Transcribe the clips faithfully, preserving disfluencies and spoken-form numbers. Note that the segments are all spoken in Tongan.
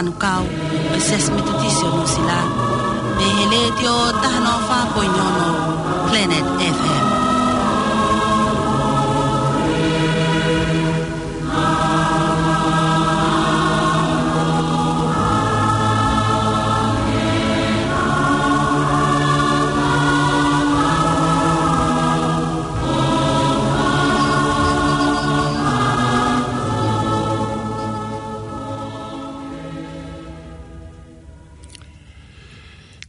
Manukau, ʻo e Siasi Metotisi ʻo Nuʻusila, pea ʻi he Letiō taha noa fā poini ono Planet F M.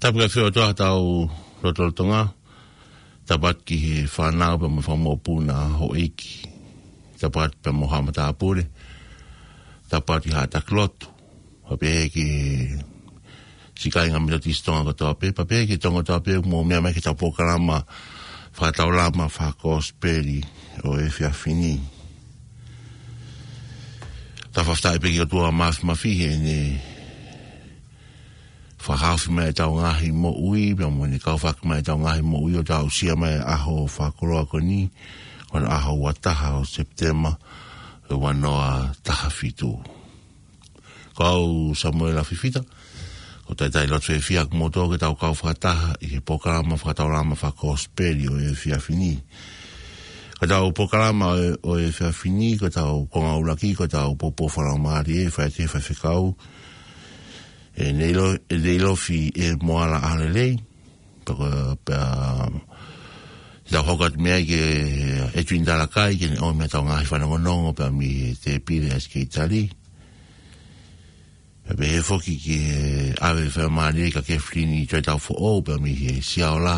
Tapu ki he ʻOtua ʻi hotau lotolotonga. Tapu atu ki he fānau pea mo e fanga mokopuna, houʻeiki. Tapu atu pea mo haʻa matāpule. Tapu atu ki haʻa taki lotu. Pea pehē ki he siʻi kāinga Metotisi Tonga kotoa pē, pea pehē ki he Tonga kotoa pē, mou meʻa mai ki heʻetau polokalama fakataulama fakakosipeli ʻo e efiafi ni. Tau fakafetaʻi pē ki he ʻOtua Māfimafi heʻene fakahaofi mai ʻetau ngaahi moʻui, pea mo ʻene kaufaki mai ʻetau ngaahi moʻui ʻo tau aʻusia mai e ʻaho fakakoloa ko eni, ko e ʻaho ua taha ʻo Sepitema, ua noa taha fitu. Ko au Samuela Fifita, ʻoku ou talitali loto fiefia ʻa kimoutolu ke tau kau fakataha ʻi he polokalama fakataulama fakakosipeli ʻo e efiafi ni. Ko ʻetau polokalama ʻo e, ʻo e efiafi ni, ko ʻetau konga ʻuluaki, ko ʻetau poupou fakalaumālie, fai ʻe he faifekau, ʻe Neilo-, ʻe Neilofi ʻe Moala ʻAholelei, pea ko, pea, tau hoko atu mei ai ki he Edwin Talakai, ke ne ʻomi ʻetau ngaahi fanongonongo, pea mei he tēpile ʻa e Sekelitali. Pea pehē foki ki he ʻave faingamālie kia Kefilini Toetaufoʻou, pea mei he Siaola,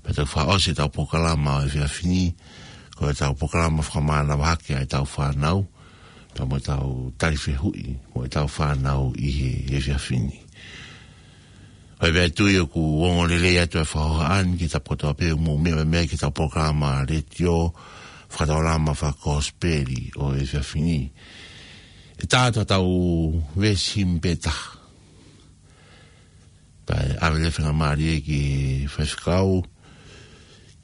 pea tau fakaʻosi ʻetau polokalama ʻo e efiafi ni, ko ʻetau polokalama fakamānava hake ʻa ʻetau fānau, pea mo ʻetau tali fehuʻi mo ʻetau fānau ʻi he efiafi ni. ʻOku ou tui ʻoku ongo lelei atu e fakahohaʻa ni ki he tapu kotoa pē ʻoku mou meʻa mai ki heʻetau polokalama letiō fakataulama fakakosipeli ʻo e efiafi ni. ʻE tā atu ʻetau veesi himi pē taha. Pea ʻave leva e faingamālie ki he faifekau,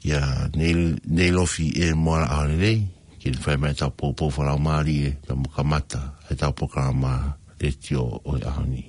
kia Neil-, Neilofi ʻe Moala ʻAholelei, ke ne fai mai ʻetau poupou fakalaumālie, pea mo kamata ʻetau polokalama letiō ʻo e ʻaho ni.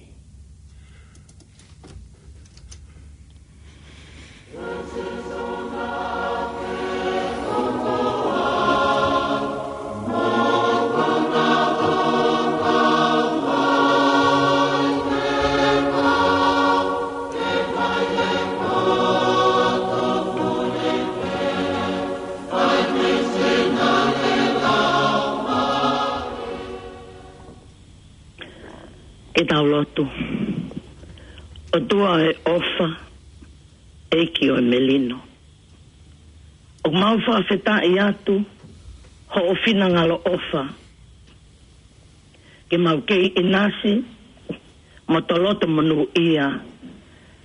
Ke tau lotu. ʻOtua ʻo e ʻofa, ʻEiki ʻo e melino, ʻoku mau fakafetaʻi atu hoʻo finangalo ʻofa ke mau kei ʻinasi mo toloto monūʻia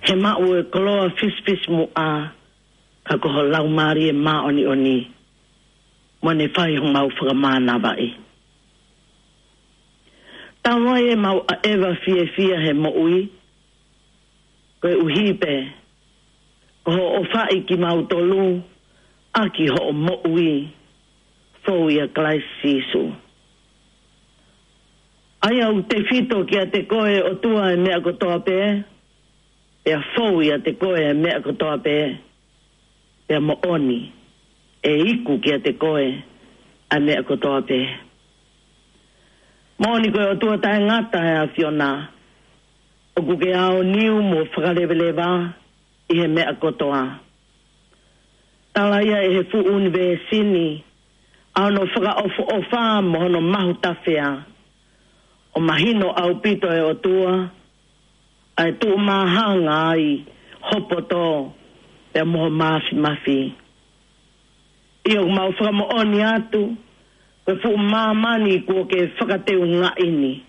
he maʻu e koloa fisifisimuʻa, ka ko ho Laumālie Māʻoniʻoni mo ne fai homau fakamānavaʻi. Tau ai ʻemau ʻaʻeva fiefia he moʻui, koeʻuhi pē ko hoʻo ʻofaʻi kimautolu ʻaki hoʻo moʻui fou ʻia Kalaisi Sīsū. ʻA ia ʻoku tefito kiate koe ʻOtua e meʻa kotoa pē, pea fou ʻiate koe e meʻa kotoa pē, pea moʻoni ʻe iku kiate koe ʻa e meʻa kotoa pē. Moʻoni ko e ʻOtua taʻengata ʻa e ʻAfiona, ʻoku ke aoniu mo fakaleveleva ʻi he meʻa kotoa. Tala ia ʻe he fuʻu ʻunivēsi ni ʻa hono fakaʻofoʻofa mo hono mahutafea, ʻo mahino ʻaupito ʻe ʻOtua ʻa e tuʻumāhanga ai ho poto pea mo ho māfimafi. ʻIo, ʻoku mau fakamoʻoni atu ko e fuʻu māmani kuo ke fakateungaʻi ni,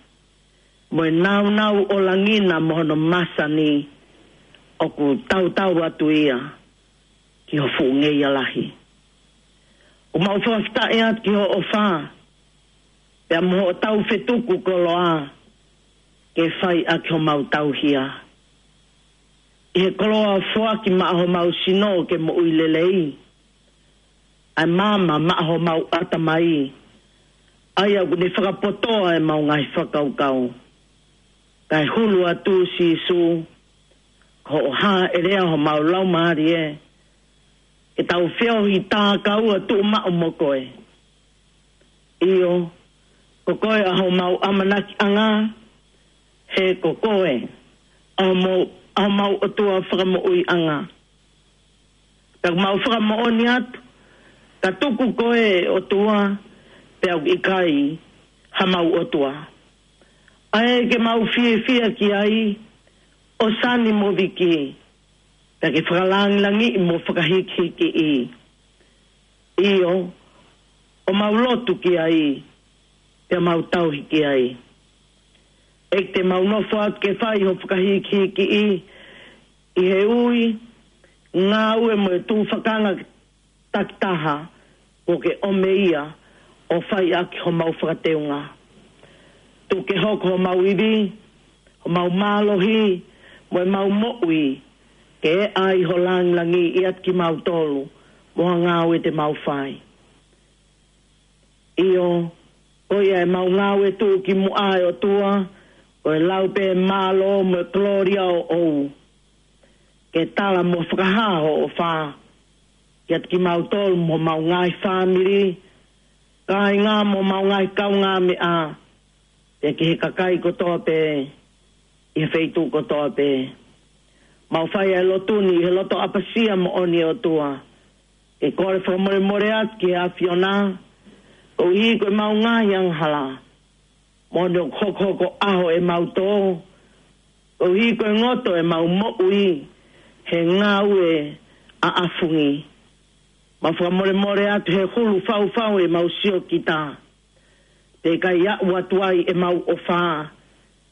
mo e nāunau ʻo langi na mo hono masani, ʻoku tautau atu ia ki ho fuʻu ngeia lahi. ʻOku mau fakafetaʻi atu ki hoʻo ʻofa, pea mo hoʻo taufetuku koloa ke fai ʻaki homau tauhi. ʻI he koloa foaki maʻa homau sino ke moʻui lelei, ʻa e maama maʻa homau ʻatamai, ʻa ia ʻoku ne fakapotoʻi ʻemau ngaahi fakakaukau. Kae hulu atu Sīsū, ko hoʻo hāʻelea homau laumālie, ke tau feohi tākaua tuʻumaʻu mo koe. ʻIo, ko koe ʻa homau ʻamanakiʻanga, he ko koe ʻa homau, ʻa homau ʻOtua fakamoʻuiʻanga. Pea ʻoku mau fakamoʻoni atu, ka tuku koe ʻOtua, pea ʻoku ʻikai hamau ʻOtua. ʻA ē ke mau fiefia ki ai, ʻo sani mo viki, pea ke fakalangilangiʻi mo fakahikihikiʻi. ʻIo, ʻo mau lotu ki ai, pea mau tauhi ki ai. ʻEiki, te mau nofo atu ke fai ho fakahikihikiʻi, ʻi he ui, ngāue mo e tufakanga takitaha, ʻoku ke ʻomi ia ʻo fai ʻaki homau fakateunga. Tuku ke hoko homau ivi, homau mālohi, mo ʻemau moʻui, ke ʻai ho langilangi ʻiate kimautolu, mo ha ngāue te mau fai. ʻIo, ko ia ʻemau ngāue tuʻu ki muʻa ʻe ʻOtua, ko e lau pē mālō mo e kolōlia ʻoʻou. Ke tala mo fakahā hoʻo ʻofa, kiate kimautolu mo homau ngaahi fāmili, kāinga mo homau ngaahi kaungāmeʻa, pea ki he kakai kotoa pē, ʻi he feituʻu kotoa pē. Mau fai ʻa e lotu ni ʻi he loto ʻapasia moʻoni ʻOtua. Ke kole fakamolemole atu ki he ʻAfiona, koeʻuhi ko ʻemau ngaahi angahala. Moʻoni ʻoku hokohoko ʻaho ʻemau tō, koeʻuhi ko e ngoto ʻemau moʻui, he ngāue ʻaʻafungi. Mau fakamolemole atu he hulu faufau ʻemau siokita. Pea ʻikai aʻu atu ai ʻemau ʻofa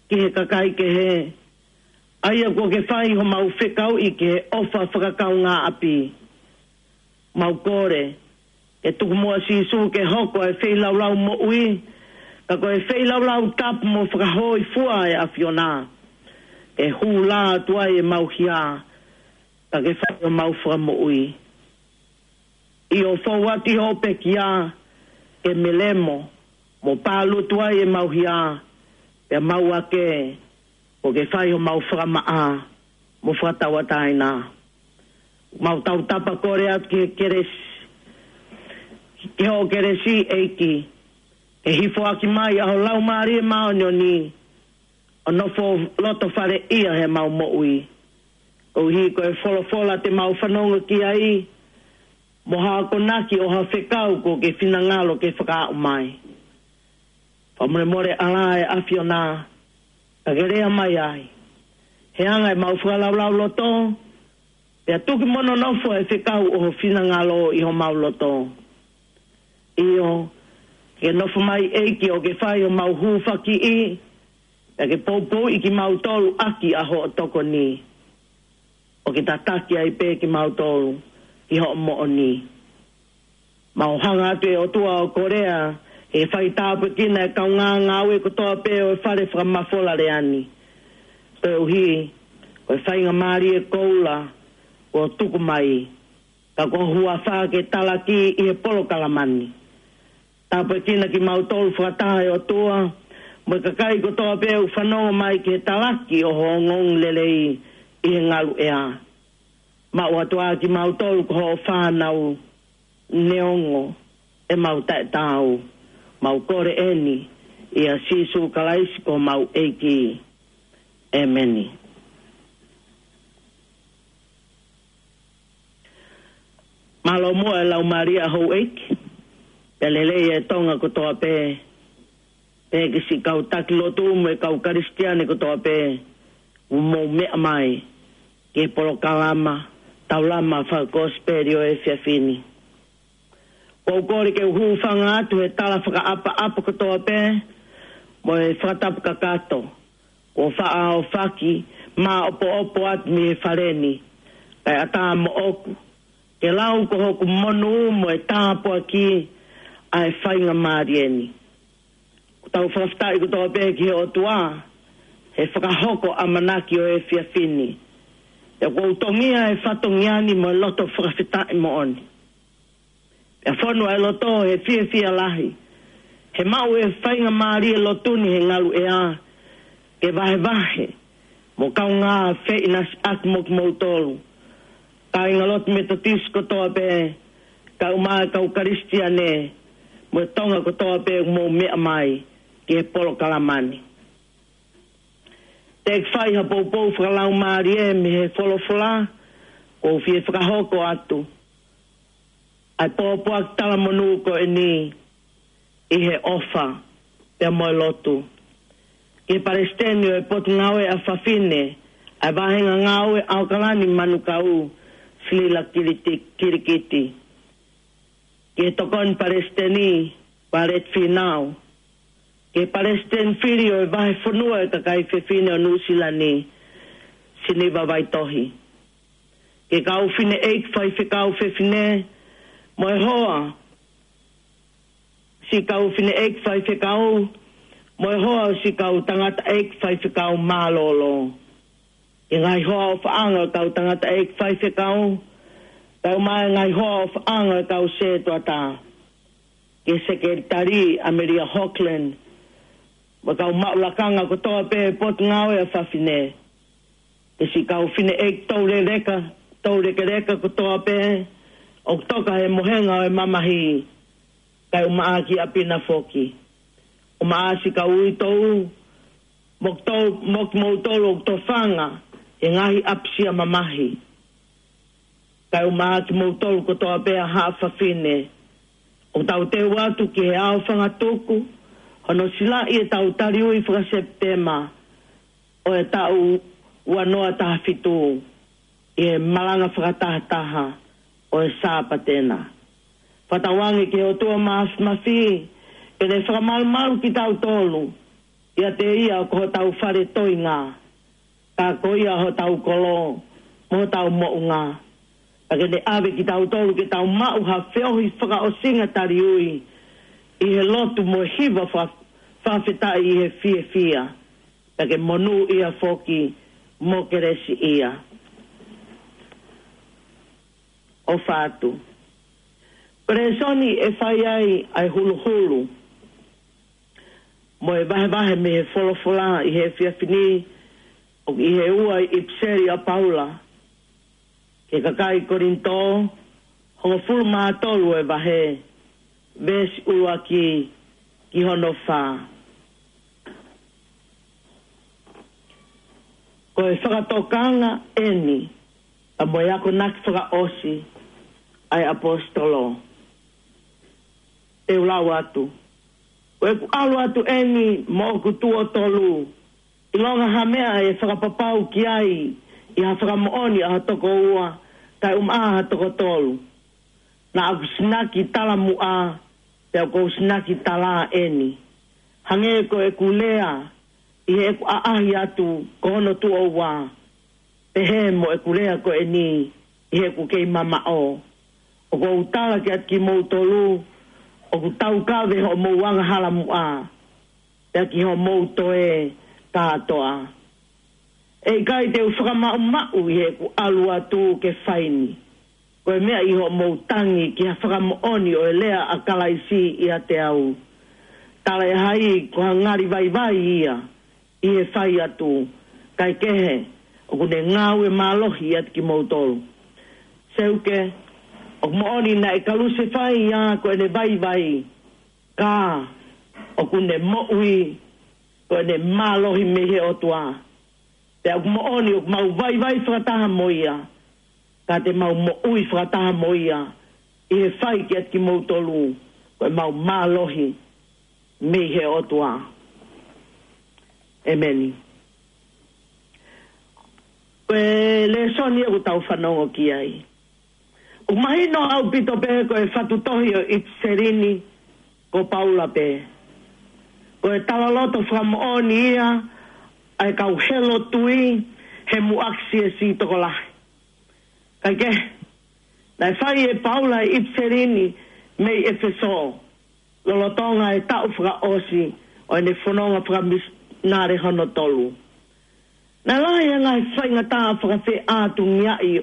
ki he kakai kehe. ʻA ia kuo ke fai homau fekauʻi ki he ʻofa fakakaungāʻapi. Mau kole, ke tuku muʻa Sīsū ke hoko e feilaulau moʻui, ka ko e feilaulau tapu mo fakahōifua ʻa e ʻAfiona. Ke hū lā atu ai ʻemau hia, ka ke fai homau fakamoʻui. ʻIo, fou atu ʻi hoʻo pekia, ke melemo, mo pālutu ai ʻemau hia, pea mau ake, kuo ke fai homau fakamaʻa, mo fakatauʻatāina. Mau tautapa kole atu ki he kelesi, ki hoʻo kelesi ʻEiki, ke hifo ʻaki mai ʻa ho Laumālie Māʻoniʻoni, ʻo nofo loto fale ia heʻemau moʻui. Koeʻuhi ko e folofola te mau fanongo ki ai, mo ha akonaki ʻo ha fekau kuo ke finangalo ke fakaaʻu mai. Fakamolemole ʻalā ʻe ʻAfiona, ka ke lea mai ai. He anga ʻemau fakalaulauloto, pea tuki mo nonofo e fekau ʻo ho finangalo ʻi homau loto. ʻIo, ke nofo mai ʻEiki ʻo ke fai homau hūfakiʻi, pea ke poupouʻi kimautolu ʻaki ʻa hoʻo tokoni. ʻO ke tataki ai pē kimautolu, ki hoʻo moʻoni. Mau hanga atu ʻe ʻOtua ʻo kole ʻa e fai tāpuekina e kaungā ngāue kotoa pē ʻo e fale fakamafola lea ni. Koeʻuhi, ko e faingamālie koula, kuo tuku mai, ka ko ho huafa ke talaki ʻi he polokalama ni. Tāpuekina kimautolu fakataha ʻe ʻOtua, mo e kakai kotoa pē ʻoku fanongo mai ki he talaki ʻo ho ongoongolelei ʻi he ngaluʻea. Maʻu atu ā kimautolu ko hoʻo fānau, neongo ʻemau taʻetaau, mau kole eni, ʻia Sīsū Kalaisi ko homau ʻEiki. ʻEmeni. Mālō muʻa e laumālie ʻa houʻeiki, pea lelei e Tonga kotoa pē, pea ki siʻi kau taki lotu mo e kau Kalisitiane kotoa pē, ʻoku mou meʻa mai, ki he polokalama, taulama fakakosipeli ʻo e efiafi ni. ʻOku ou kole ke u hūfanga atu he tala fakaʻapaʻapa kotoa pē, mo e fakatapu kakato, kuo faʻa ʻaofaki, māʻopoʻopo atu mei he fale ni, kae ʻatā moʻoku, ke lau ko hoku monū mo e tāpuaki, ʻa e faingamālie ni. ʻOku tau fakafetaʻi kotoa pē ki he ʻOtua, he fakahoko ʻamanaki ʻo e efiafi ni. Pea ʻoku ou tongia e fatongia ni mo e loto fakafetaʻi moʻoni. Pea fonu ʻa e loto he fiefia lahi. He maʻu e faingamālie lotu ni he ngaluʻea. ke vahevahe mo kaungā feʻinasiʻaki mo kimoutolu, kāingalotu Metotisi kotoa pē, kae ʻumaʻā e kau Kalisitiane mo e Tonga kotoa pē ʻoku mou meʻa mai ki he polokalama ni. Te u fai ha poupou fakalaumālie mei he folofola, ʻoku ou fie fakahoko atu ʻa e pōpoaki talamonū ko eni ʻi he ʻofa pea mo e lotu. Ki he Palesiteni ʻo e Potungāue ʻa Fafine ʻa e Vāhenga Ngāue ʻAokalani Manukau, Silila Kiliti-, Kilikiti. Ki he Tokoni Palesiteni, Violet Fīnau. Ki he Palesiteni Fili ʻo e Vahefonua ʻo e Kakai Fefine ʻo Nuʻusila ni, Siniva Vaitohi. Ki he kau fineʻeiki faifekau fefine, mo e hoa siʻi kau fineʻeiki faifekau, mo e hoa siʻi kau tangataʻeiki faifekau mālōlō. Ki he ngaahi hoa ʻofaʻanga ʻo e kau tangataʻeiki faifekau, kae ʻumaʻā e ngaahi hoa ʻofaʻanga ʻo e kau sētuata. Ki he Sekelitali ʻAmelia Hogland, mo e kau maʻu lakanga kotoa pē Potungāue ʻa Fafine. Ki he siʻi kau fineʻeiki touleleka, toulekeleka kotoa pē ʻoku toka he mohenga ʻo e mamahi, kae ʻumaʻā ki ʻapi na foki. ʻUmaʻā siʻi kau uitou, mo kimoutolu ʻoku tofanga he ngaahi ʻapisia mamahi. Kae ʻumaʻā kimoutolu kotoa pē ʻa Haʻa Fafine, ʻoku tau teu atu ki he aofangatuku hono silaʻi ʻetau taliui faka-Sepitema ʻo e taʻu ua noa taha fitu ʻi he malanga fakatahataha ʻo e Sāpate na. Fakatauange ki he ʻOtua Māfimafi ke ne fakamalumalu kitautolu, ʻiate ia ko hotau fale toenga, ka ko ia hotau kolo mo hotau moʻunga. Pea ke ne ʻave kitautolu ke tau maʻu ha feohi fakaʻosinga taliui ʻi he lotu mo e hiva fa-, fakafetaʻi ʻi he fiefia. Pea ke monūʻia foki mo kelesiʻia. ʻOfa atu. Ko e lēsoni ʻe fai ai ʻa e huluhulu mo e vahevahe mei he folofola ʻi he efiafi ni, ʻoku ʻi he ua ʻipiseli ʻa Paula ki he kakai Kolinitō, hongofulu mā tolu ʻo e vahe, veesi ʻuluaki ki hono fā. Ko e fakatokanga eni ʻa mo e akonaki fakaʻosi ʻa e ʻaposetolo. Te u lau atu. Ko ʻeku ʻalu atu eni moʻoku tuʻo tolu, ʻilonga ha meʻa ʻe fakapapau ki ai ʻi ha fakamoʻoni ʻa ha toko ua, kae ʻumaʻā ha toko tolu. Naʻa ku sinaki talamuʻa, pea ʻoku ou sinaki tala eni. Hangē ko ʻeku lea ʻi heʻeku ʻaʻahi atu ko hono tuʻo ua, pehē mo ʻeku lea ko eni ʻi heʻeku kei mamaʻo. ʻOku ou tala kiate kimoutolu, ʻoku taukave hoʻomou angahala muʻa, pea ki hoʻomou toe kātoa. ʻE ʻikai te u fakamaʻumaʻu ʻi heʻeku ʻalu atu ke fai ni, ko e meʻa ʻi hoʻomou tangi ki ha fakamoʻoni ʻo e lea ʻa Kalaisi ʻiate au. Talaʻehai ko ha ngali vaivai ia ʻi he fai atu, kae kehe, ʻoku ne ngāue mālohi ʻiate kimoutolu. Seuke, ʻoku moʻoni naʻe kalusefai ia ko ʻene vaivai, ka ʻoku ne moʻui ko ʻene mālohi mei he ʻOtua. Pea ʻoku moʻoni ʻoku mau vaivai fakataha mo ia, ka te mau moʻui fakataha mo ia ʻi he fai kiate kimoutolu ko ʻemau mālohi mei he ʻOtua. ʻEmeni. Ko e lēsoni ʻoku tau fanongo ki ai, ʻoku mahino ʻaupito pē ko e fatu tohi ʻo e ʻipiseli ni ko Paula pē. Ko e talaloto fakamoʻoni ia ʻa e kau helo tui he muʻaki siasi tokolahi. Kae kehe, naʻe fai ʻe Paula e ʻipiseli ni mei ʻEfesō, lolotonga e taʻu fakaʻosi ʻo ʻene fononga fakamisinale hono tolu. Naʻe lahi e ngaahi faingataʻa fakafeʻātungiaʻi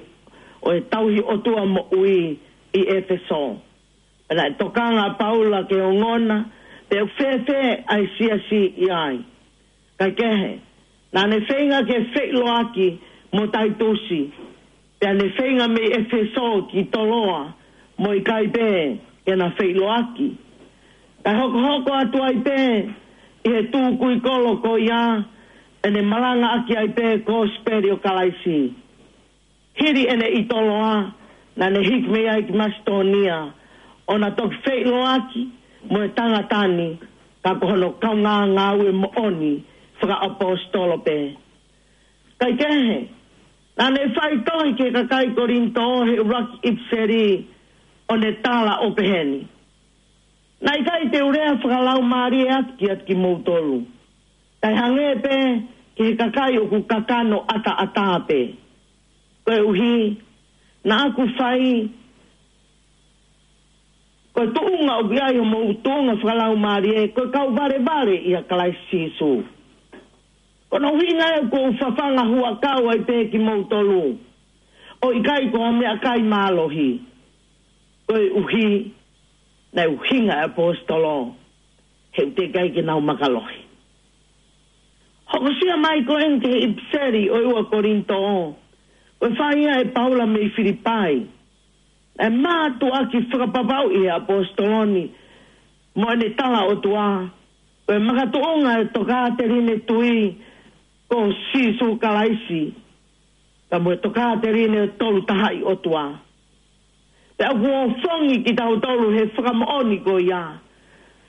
ʻo e tauhi ʻOtua moʻui ʻi ʻEfesō. Pea naʻe tokanga ʻa Paula ke ongona pe ʻoku fēfē ʻa e siasi ʻi ai. Kae kehe, Naʻa ne feinga ke feʻiloaki mo Taitusi, pea ne feinga mei ʻEfesō ki Toloa, mo ʻikai pē ke na feʻiloaki. Kae hokohoko atu ai pē ʻi he tukui kolo ko ia, ʻene malangaʻaki ai pē kosipeli ʻo Kalaisi. Hili ʻene ʻi Toloa, naʻa ne hiki mei ai ki Masitōnia, ʻo na toki feʻiloaki mo e tangata ni, ka ko hono kaungā ngāue moʻoni fakaʻaposetolo pē. Kaikehe, naʻa ne faitohi ki he kakai Kolinitō he ʻuluaki ʻipiseli, ʻo ne tala ʻo peheni: Naʻe ʻikai te u lea fakalaumālie atu kiate kimoutolu, kae hangē pē ki he kakai ʻoku kakano ʻataʻatā pē. Koeʻuhi, naʻa ku fai, ko e tuʻunga ʻoku ʻi ai homou tuʻunga fakalaumālie, ko e kau valevale ʻia Kalaisi Sīsū. Ko hono ʻuhinga ia ʻoku ou fafanga huʻakau ai pē kimoutolu, ʻo ʻikai ko ha meʻakai mālohi. Koeʻuhi, naʻe ʻuhinga e ʻaposetolo, he ʻoku teʻeki ai ke nau makalohi. Hokosia mai ko eni ki he ʻipiseli ʻo e ua Kolinitō, ko e fai ia ʻe Paula mei Filipai. Naʻe mātuʻaki fakapapauʻi ʻe he ʻaposetolo ni mo ʻene tala ʻOtua, ko e makatuʻunga e tokāteline tui ko Sīsū Kalaisi, ka mo e tokāteline tolu tahaʻi ʻOtua. Pea ʻoku ofongi kitautolu he fakamoʻoni ko ia,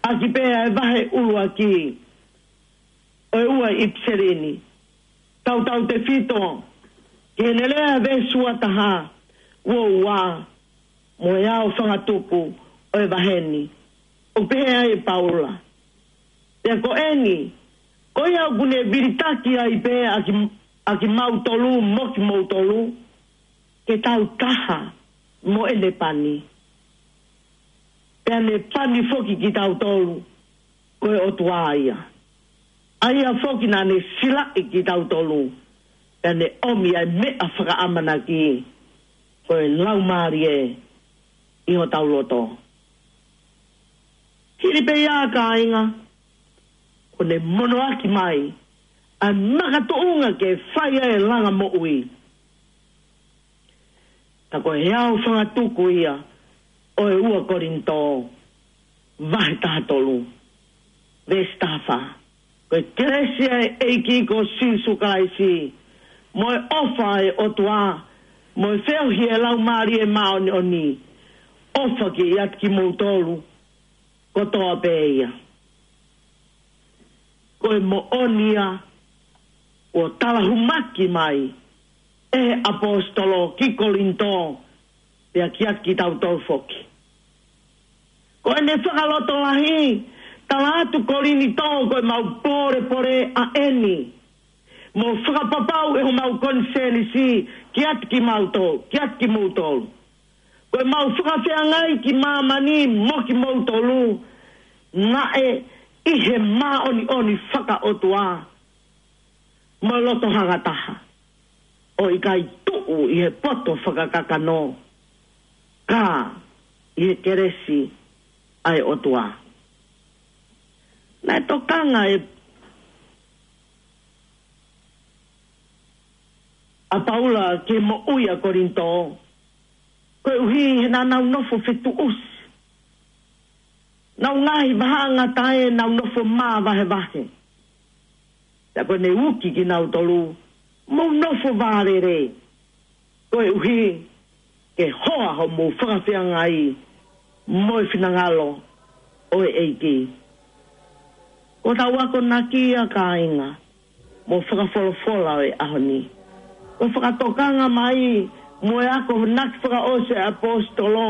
ʻaki pē ʻa e vahe ʻuluaki ʻo e ua ʻipiseli ni. Tautautefito ki heʻene lea veesi ua taha, ua ua, mo e ao fangatuku ʻo e vahe ni. ʻOku pehē ai ʻe Paula: Pea ko eni, ko ia ʻoku ne vilitaki ai pē ʻa ki, ʻa kimautolu mo kimoutolu, ke tau taha mo ʻene pani. Pea ne pani foki kitautolu, ko e ʻOtua ia. ʻA ia foki naʻa ne silaʻi kitautolu, pea ne ʻomi ʻa e meʻa fakaʻamanaki, ko e Laumālie ʻi hotau loto. Hili pē ia, kāinga, kuo ne monoʻaki mai ʻa e makatuʻunga ke fai ai e langa moʻui. Ka ko e ao fangatuku ia ʻo e ua Kolinitō, vahe taha tolu, veesi taha fā. Ko e kelesi ʻa e ʻEiki ko Sīsū Kalaisi, mo e ʻofa ʻa e ʻOtua, mo e feohi ʻa e Laumālie Māʻoniʻoni, ʻofa ke ʻiate kimoutolu kotoa pē ia. Ko e moʻoni ia kuo talahumaki mai ʻe he ʻaposetolo ki Kolinitō, pea kiate kitautolu foki. Ko ʻene fakalotolahi, tala atu Kolinitō, ko ʻemau pōlepole ʻa eni, mo fakapapau ʻe homau konisēnisi kiate kimautolu, kiate kimoutolu. Ko ʻemau fakafeangai ki māmani mo kimoutolu, naʻe ʻi he māʻoniʻoni fakaʻotua mo e loto hangataha, ʻo ʻikai tuʻu ʻi he poto fakakakano, ka ʻi he kelesi ʻa e ʻOtua. Naʻe tokanga ʻe, ʻa Paula ki he moʻui ʻa Kolinitō, koeʻuhi he naʻa nau nofo fetuʻusi. Nau ngaahi vahaʻangatae, nau nofo māvahevahe. Pea ko ʻene uki kinautolu, mou nofo vālele, koeʻuhi ke hoa hoʻomou fakafeangai mo e finangalo ʻo e ʻEiki. Ko ʻetau akonaki ia, kāinga, mo e fakafolofola ʻo e ʻaho ni. Ko e fakatokanga mai mo e akonaki fakaʻosi ʻa e ʻaposetolo.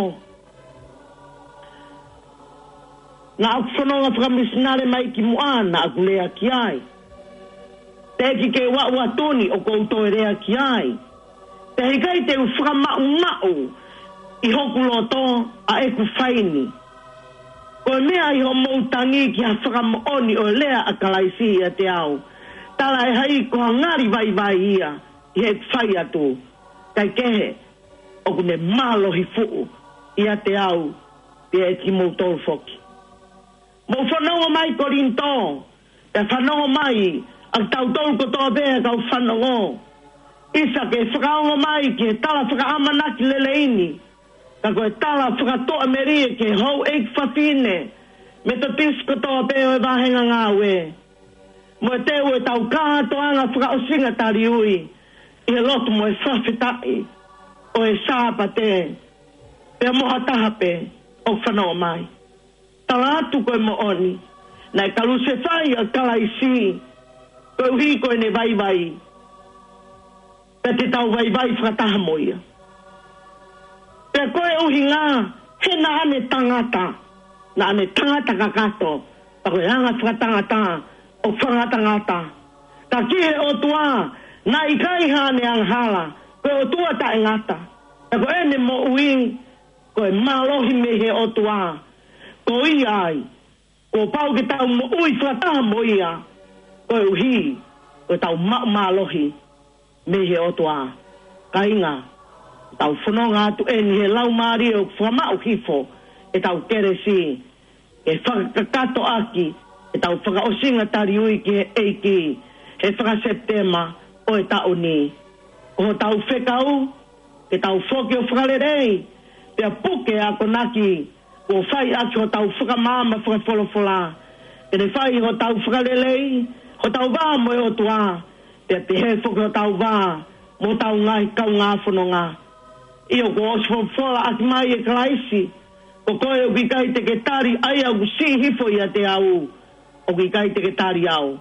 Naʻa ku fononga fakamisinale mai kimuʻa, naʻa ku lea ki ai. Teʻeki ke u aʻu atu ni ʻoku ou toe lea ki ai. Pea ʻikai te u fakamaʻumaʻu ʻi hoku loto ʻa ʻeku fai ni. Ko e meʻa ʻi hoʻomou tangi ki ha fakamoʻoni ʻo e lea ʻa Kalaisi ʻiate au, talaʻehai ko ha ngali vaivai ia ʻi heʻeku fai atu. Kaikehe, ʻoku ne mālohi fuʻu ʻiate au, pea ʻiate kimoutolu foki. Mou fanongo mai Kolinitō, pea fanongo mai ʻa kitautolu kotoa pē ʻa e kau fanongo. ʻIsa ke fakaongo mai ki he tala fakaʻamanaki lelei ni, ka ko e tala fakatoʻa melie ki he houʻeiki fafine Metotisi kotoa pē ʻo e vāhenga ngāue. Mo e teu ʻetau kātoanga fakaʻosinga taliui ʻi he lotu mo e fakafetaʻi ʻo e Sāpate, pea mo ha taha pē ʻoku fanongo mai. Tala atu ko e moʻoni, naʻe kalusefai ʻa Kalaisi koeʻuhi ko ʻene vaivai, pea te tau vaivai fakataha mo ia. Pea ko e ʻuhinga, he naʻa ne tangata, naʻa ne tangata kakato, pea ko e anga fakatangata ʻoku fakangatangata. Ka ki he ʻOtua, naʻe ʻikai haʻane angahala, ko e ʻOtua taʻengata. Pea ko ʻene moʻui, ko e mālohi mei he ʻOtua. Ko ia ai, kuo pau ke tau moʻui fakataha mo ia, koeʻuhi ko ʻetau maʻu mālohi mei he ʻOtua. Kāinga, tau fononga atu eni he Laumālie ʻoku fakamaʻu hifo ʻetau kelesi, ke fakakakato ʻaki ʻetau fakaʻosinga taliui ki he ʻEiki he faka-Sepitema ʻo e taʻu ni. Ko hotau fekau, ke tau foki ʻo fakalelei, pea puke ʻa e akonaki kuo fai ʻaki hotau fakamaama fakafolofola. Ke ne fai hotau fakalelei, hotau vā mo e ʻOtua, pea pehē foki hotau vā mo hotau ngaahi kaungā fononga. ʻIo, kuo ʻosi folofola ʻaki mai ʻe Kalaisi, ko koe ʻoku ʻikai te ke tali ʻa ia ʻoku siʻi hifo ʻiate au, ʻoku ʻikai te ke tali au.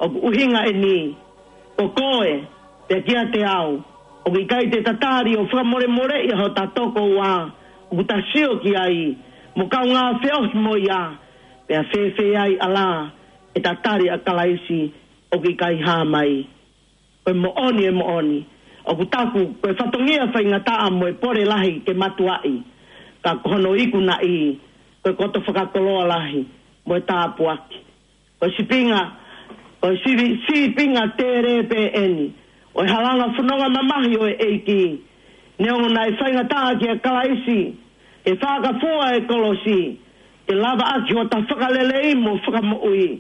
ʻOku ʻuhinga eni, ko koe, pea kiate au, ʻoku ʻikai te ta tali ʻo fakamolemoleʻi ʻa hota tokoua ʻoku ta sio ki ai, mo kaungā feohi mo ia, pea fēfē ai ʻa e ala ʻe ta tali ʻa Kalaisi ʻoku ʻikai hā mai. Ko e moʻoni, e moʻoni, ʻoku taku ko e fatongia faingataʻa mo e pole lahi ke matuaʻi, ka ko hono ikunaʻi ko e koto fakakoloa lahi mo e tāpuaki. Ko e sīpinga, ko e sivi-, sīpinga tēlē pē eni ʻo e halanga fononga mamahi ʻo e ʻEiki. Neongo naʻe faingataʻa kia Kalaisi ke fakafua e kolosi, ke lava ʻaki hota fakalelei mo fakamoʻui,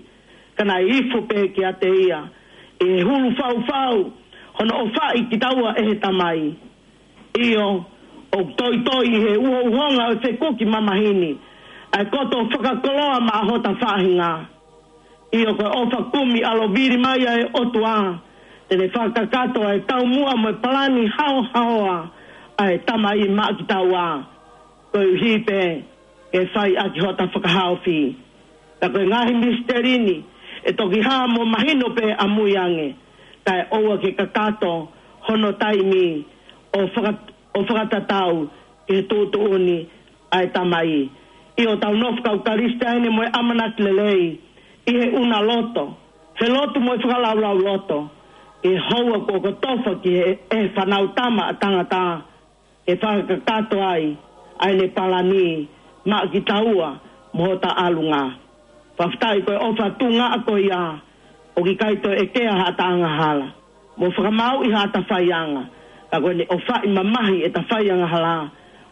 ka naʻe ifo pē kiate ia ʻi he hulu faufau hono ʻofaʻi kitaua ʻe he Tamai. ʻIo, ʻoku toitoi ʻi he uhouhonga ʻo e fekuki mamahi ni ʻa e koto fakakoloa maʻa hota faʻahinga. ʻIo, ko e ʻofa kumi ʻalovili mai ʻa e ʻOtua, te ne fakakakato ʻa e taumuʻa mo e palani haohaoa ʻa e Tamai maʻa kitaua, koeʻuhi pē ke fai ʻaki hota fakahaofi. Ka ko e ngaahi misiteli ni ʻe toki hā mo mahino pē ʻamui ange, kae ʻoua ke kakato hono taimi ʻo faka-, ʻo fakatatau ki he tuʻutuʻuni ʻa e Tamai. ʻIo, tau nofo kau Kalisitiane mo e ʻamanaki lelei ʻi he ʻuna loto, he lotu mo e fakalaulauloto, ʻi he houa kuo kotofa ki he, ʻe he Fānautama ʻa Tangata, ke fakakakato ai ʻa ʻene palani maʻa kitaua mo hota ʻalunga. Fakafetaʻi ko e ʻofa tuʻunga ko ia, ʻoku ʻikai toe ʻekea haʻata angahala mo fakamāuʻi haʻata faianga, ka ko ʻene ʻofaʻi mamahi ʻeta faiangahala,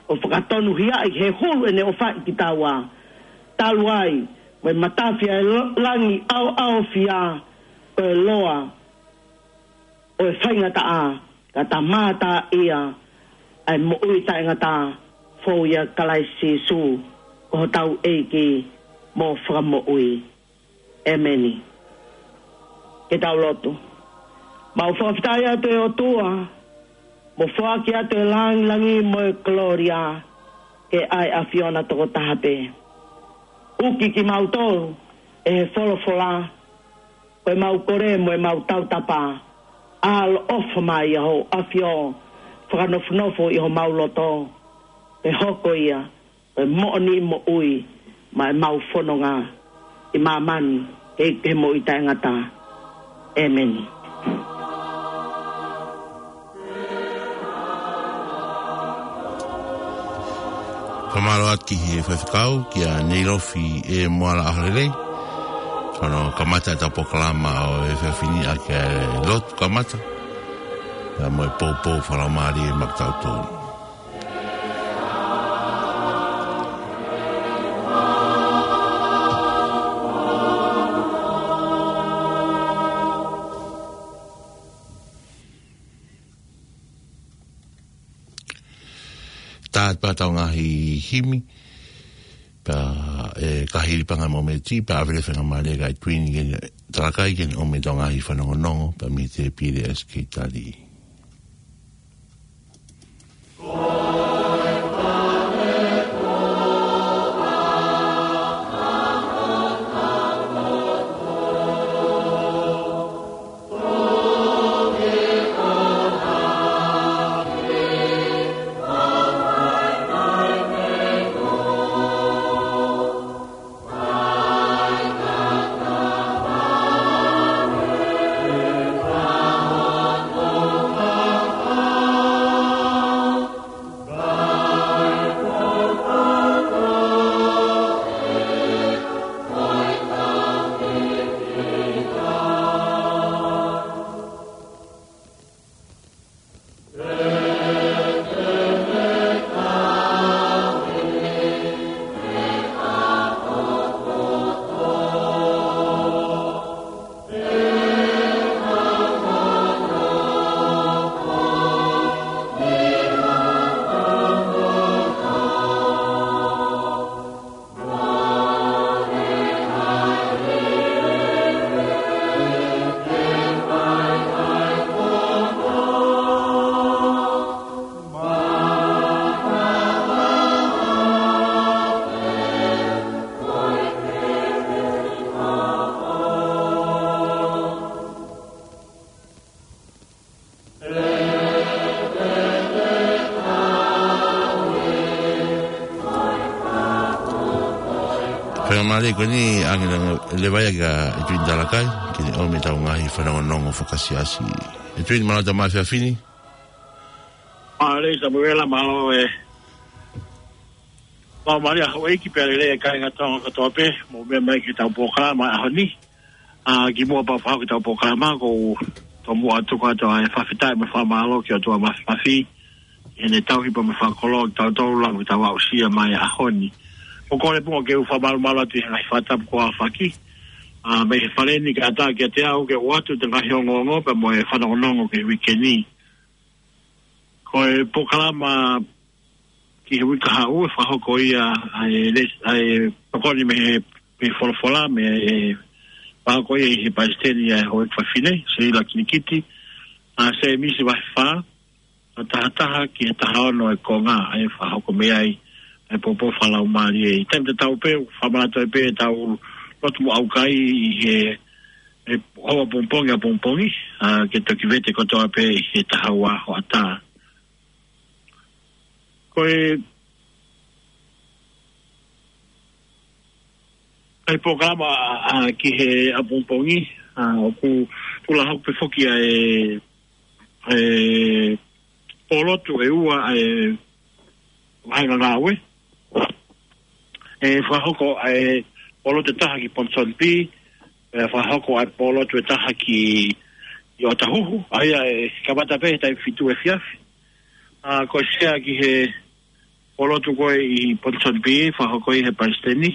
ʻo fakatonuhiaʻi he hulu ʻene ʻofaʻi kitaua. Talu ai mo e matafi ʻa e lo-, langi ʻaoʻaofia, ko e loa ʻo e faingataʻa, ka ta mātā ia ʻa e moʻui taʻengata, fou ʻia Kalaisi Sīsū ko hotau ʻEiki mo Fakamoʻui. ʻEmeni. Ke tau lotu. Mau fakafetaʻi atu ʻe ʻOtua, mo foaki atu e langilangi mo e kolōlia ki he ʻAfiona tokotaha pē. ʻUki kimautolu ʻe he folofola, ko e mau kole mo e mau tautapa, ʻaloʻofa mai ʻa Hoʻo ʻAfio fakanofonofo ʻi homau loto, ke hoko ia ko e moʻoniʻi moʻui maʻa e mau fononga ʻi māmani, kei ke moʻui taʻengata. ʻEmeni. Fakamālō atu ki he faifekau, kia Neilofi ʻe Moala ʻAholelei. Hono kamata ʻetau polokalama ʻo e efiafi ni ʻaki ʻa e lotu kamata, pea mo e poupou fakalaumālie maʻatautolu. tā atu pē ʻetau ngaahi himi, pea ʻe kahi ʻi panga mo meti, pea ʻave leva e faingamālie kia Tuini ke talakai ke ne ʻomai ʻetau ngaahi fanongonongo, pea mei he tēpile ʻa e sekelitali. Faingamālie ko eni ʻange leva ia kia Tuini Talakai, ke ne ʻomai ʻetau ngaahi fanongonongo fakasiasi. ʻE Tuini, mālō e tau mai fefine. Mālō Samuela, mālō e. Mālō mālō e houʻeiki pea lelei e kāinga Tonga kotoa pē, mou meʻa mai ki heʻetau polokalama ʻaho ni. ʻA, kimuʻa pea u fakahoko ʻetau polokalama, ʻoku ou tomuʻa tuku atu ʻa e fakafetaʻi mo e fakamālō ki he ʻOtua Māfimafi, ʻi heʻene tauhi pea mo fakakoloa kitautolu ʻo aʻu ki heʻetau aʻusia mai ʻaho ni. ʻOku ou kole pē ke u fakamalumalu atu ʻi he ngaahi fakatapu kuo aofaki, ʻa, mei he Fale ni kae ʻatā kiate au ke u ʻoatu ʻa e ngaahi ongoongo pea mo e fanongonongo ki he uike ni. Ko e polokalama ki he uike kahaʻu ʻe fakahoko ia ʻa e les-, ʻa e tokoni mei he, mei he folofola, mei he fakahoko ia ʻe he palesiteni ʻa e houʻeiki fefine, Seila Kilikiti, ʻa Sēmisi vahe fā, ʻa tahataha ki he tahaono e konga, ʻa e fakahoko mei ai ʻa e poupou fakalaumālie. ʻI he taimi tatau pē, ʻoku fakamanatu ai pē ʻetau lotu mo ʻaukai ʻi he, ʻi he houa pongipongi ʻapongipongi, ʻa, ke toki vete kotoa pē ʻi he taha ua hoʻatā. Ko e, ʻa e polokalama, ʻa, ki he ʻapongipongi, ʻa, ʻoku tula hoko pē foki ʻa e, e pōlotu ʻe ua ʻa e vāhenga ngāue. ʻE fakahoko ʻa e pōlotu ʻe taha ki Ponsonby, ʻe fakahoko ʻa e pōlotu ʻe taha ki, ki ʻŌtahuhu, ʻa ia ʻe kamata pē he taimi fitu efiafi. ʻA, ko e sea ki he pōlotu ko ē ʻi Ponsonby, fakahoko ʻe he palesiteni,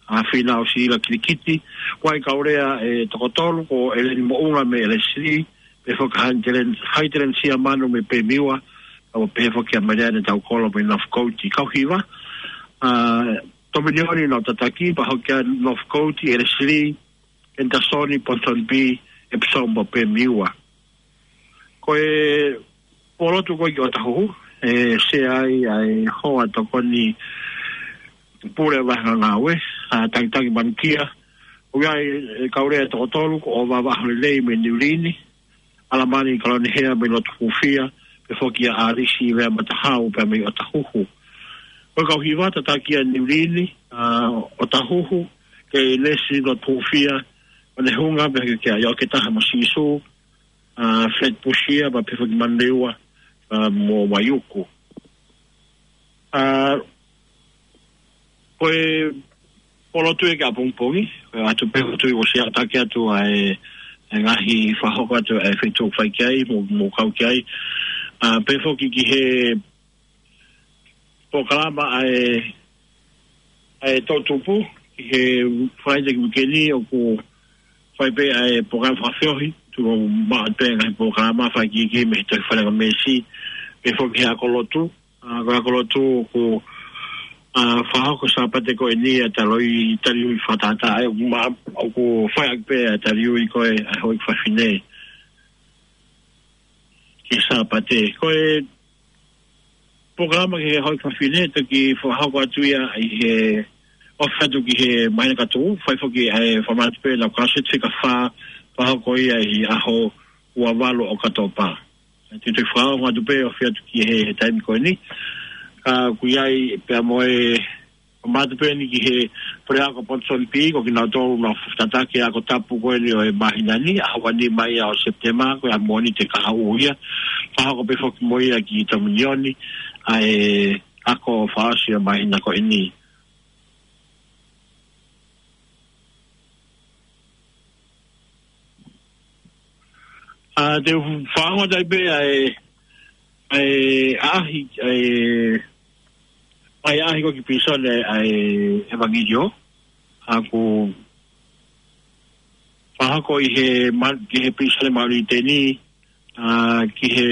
ʻa Fīnau Seila Kilikiti, ʻoku ʻi ai e kau lea ʻe toko tolu, ko ʻEleni Moʻunga mei ʻElesili, pehē foki ʻa Haitelen, Haitelen Siamanu mei Pemiua, ʻo pehē foki ʻa Meleane Taukolo mei Northcote. Kau hiva, ʻa, Tominioni Nautataki, pea hoko atu Northcote, ʻElesili, Henderson, Ponsonby, Epsom mo Pemiua. Ko e pōlotu ko ē ki ʻŌtahuhu, ʻe sea ai ʻa e hoa tokoni pule vāhenga ngāue, ʻa Tangitangimanu Kia. ʻOku ʻi ai e kau lea ʻe toko tolu, ko ʻOvava ʻAholelei mei Niu Lini, ʻAlamani Kalonihea mei Lotu Hūfia, pehē foki ʻa ʻAlisi Vea Matahau pea mei ʻŌtahuhu. Ko e kau hiva, tataki ʻa Niu Lini, ʻa ʻŌtahuhu, Keilesi Lotu Hūfia, ʻOnehunga, pehē ki ai ʻOketaha mo Sīsū, ʻa Fred Pusia, pea pehē foki Manurewa, ʻa mo Vaiuku. ʻA, ko e pōlotu ia ki ʻapongipongi, ko e ʻoatu pē ʻoku ou tui ʻoku siʻi ʻatā atu ʻa e, e ngaahi fakahoko atu ʻa e feituʻu ʻoku fai ki ai, mo, mo kau ki ai. ʻA, pehē foki ki he polokalama ʻa e, ʻa e toʻutupu, ki he Falaite ki he uike ni ʻoku fai pē ʻa e polokalama fakafeohi, tuʻu maʻu pē ngaahi polokalama fakakikihi mei he Tohi Fakalea Meesi, pehē foki he ako lotu, ʻA, ko e ako lotu ʻoku, ʻa, fakahoko Sāpate ko eni ʻa e taliui, taliui fakatātā, ʻa ia ʻoku ma-, ʻoku fai ʻaki pē ʻa e taliui ko ē ʻa e houʻeiki fafine ki Sāpate. Ko e polokalama ki he houʻeiki fafine, toki fakahoko atu ia ʻi he ofi atu ki he māhina ka tuʻu, fai foki ʻa e fakamātoato pē ʻa e kau seti fika fā, fakahoko ia ʻi he ʻaho ua valu ʻo ʻOkatopa. Te u toe fakaongo atu pē ʻo ofi atu ki he taimi ko eni. Ka ʻoku ʻi ai pea mo e fakamātoato pē eni ki he puleako Ponson B, ko kinautolu naʻa nau tataki e ako tapu ko eni ʻo e māhina ni, ʻaho ua nima ia ʻo Sepitema, ko e ʻaho Mōnite kahaʻu ia. Fakahoko pē foki mo ia ki Tominioni ʻa e ako fakaʻosi ʻo e māhina ko eni. ʻA, te u fakaongo atu ai pē ʻa e, ʻa e ʻaʻahi, ʻa e, ʻa e ʻaʻahi ko ē ki pilīsone ʻa e ʻEvangeliō. ʻA, ʻoku fakahoko ʻi he ma-, ki he pilīsone Maʻuliteni, ʻa, ki he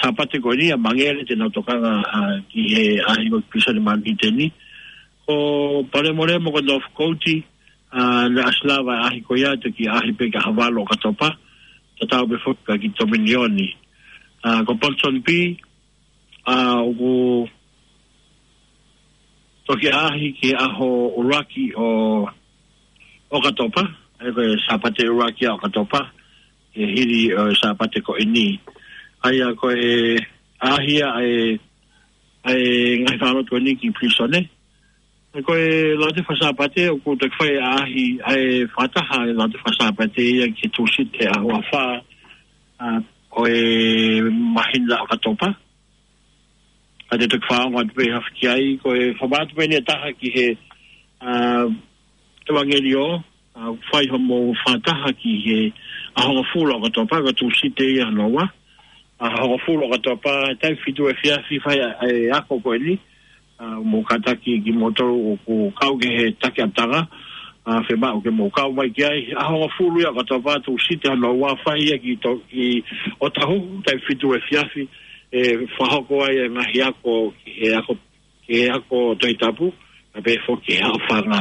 Sāpate ko eni ʻa Mangele te nau tokanga, ʻa, ki he ʻaʻahi ko ē ki pilīsone Maʻuliteni. Ko Palemolemo ko Northcote, ʻa, naʻe ʻasi lava ʻaʻahi ko ia toki ʻaʻahi pē ki he ʻaho valu ʻo ʻOkatopa, tatau pē foki ki Tominioni. ʻA, ko Ponson B, ʻa, ʻoku toki ʻaʻahi ki he ʻaho ʻuluaki ʻo ʻOkatopa, ʻa ia ko e Sāpate ʻuluaki ʻo ʻOkatopa, ʻe hili ʻo e Sāpate ko eni. ʻA ia ko e ʻaʻahi ia ʻa e, ʻa e ngaahi fakalotu ko eni ki pilīsone. Ko e Lautohi Faka-Sāpate, ʻoku toki fai ʻaʻahi, ʻa e fakataha e Lautohi Faka-Sāpate ia ki he Tūsite ʻaho ua fā, ʻa, ʻo e māhina ʻOkatopa. Ka te u toki fakaongo atu pē hafiki ai, ko e fakamātoato pē eni ʻe taha ki he, ʻa, ʻEvangeliō, ʻa, fai hoʻomou fakataha ki he ʻaho hongofulu ʻo ʻOkatopa, ko e Tūsite ia hono ua. ʻAho hongofulu ʻo ʻOkatopa, taimi fitu efiafi fai ʻa e ako ko eni, ʻa, mou kātaki kimoutolu ʻoku kau ki he taki ʻapitanga, ʻa, fiemaʻu ke mou kau mai ki ai, ʻaho hongofulu ia ʻo ʻOkatopa, Tūsite hono ua fai ia ki to-, ki ʻŌtāhuhu, taimi fitu efiafi, ʻe fakahoko ai e ngaahi ako, ki he ako, ki he ako Tohi Tapu, pea pehē foki ki he ako fanga.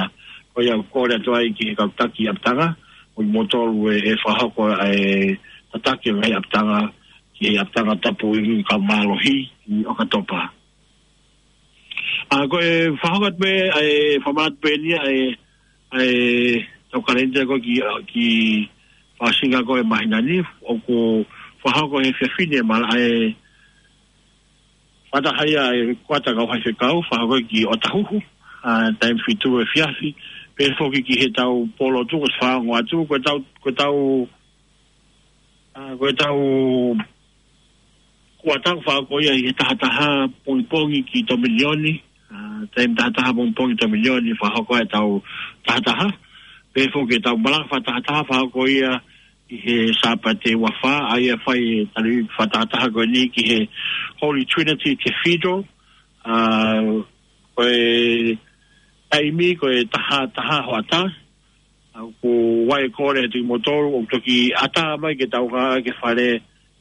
Ko ia ʻoku kole atu ai ki he kau taki ʻapitanga, ʻo kimoutolu ʻe, ʻe fakahoko ʻa e tataki ʻo e ngaahi ʻapitanga, ki he ʻapitanga tapu ʻi he kau mālohi ʻi ʻOkatopa. ʻA, ko e fakahoko atu pē, ʻa e fakamātoato pē eni ʻa e, ʻa e, tau kalenda ko ē ki, ki Fakasinga ko ē māhina ni, ʻoku fakahoko he efiafi ni ʻa e mala-, ʻa e fakataha ia ʻa e kuata kau faifekau, fakahoko ki ʻŌtāhuhu, ʻa, taimi fitu efiafi, pehē foki ki he tau polo tu, ko e fakaongo atu, ko e tau, ko e tau, ʻa, ko e tau kuata fakahoko ia ʻi he taha taha pongipongi ki Tominioni, ʻa, taimi taha taha pongipongi Tominioni, fakahoko e tau taha taha, pehē foki e tau malanga fakataha taha, fakahoko ia ʻi he Sāpate ua fā, ʻa ia fai e taliui fakataha taha ko eni ki he Holy Trinity Cathedral, ʻa, ko e taimi ko e taha taha hoʻatā, ʻa, ʻoku ʻi ai e kole atu kimoutolu, ʻoku toki ʻatā mai ke tau ngāue ki he fale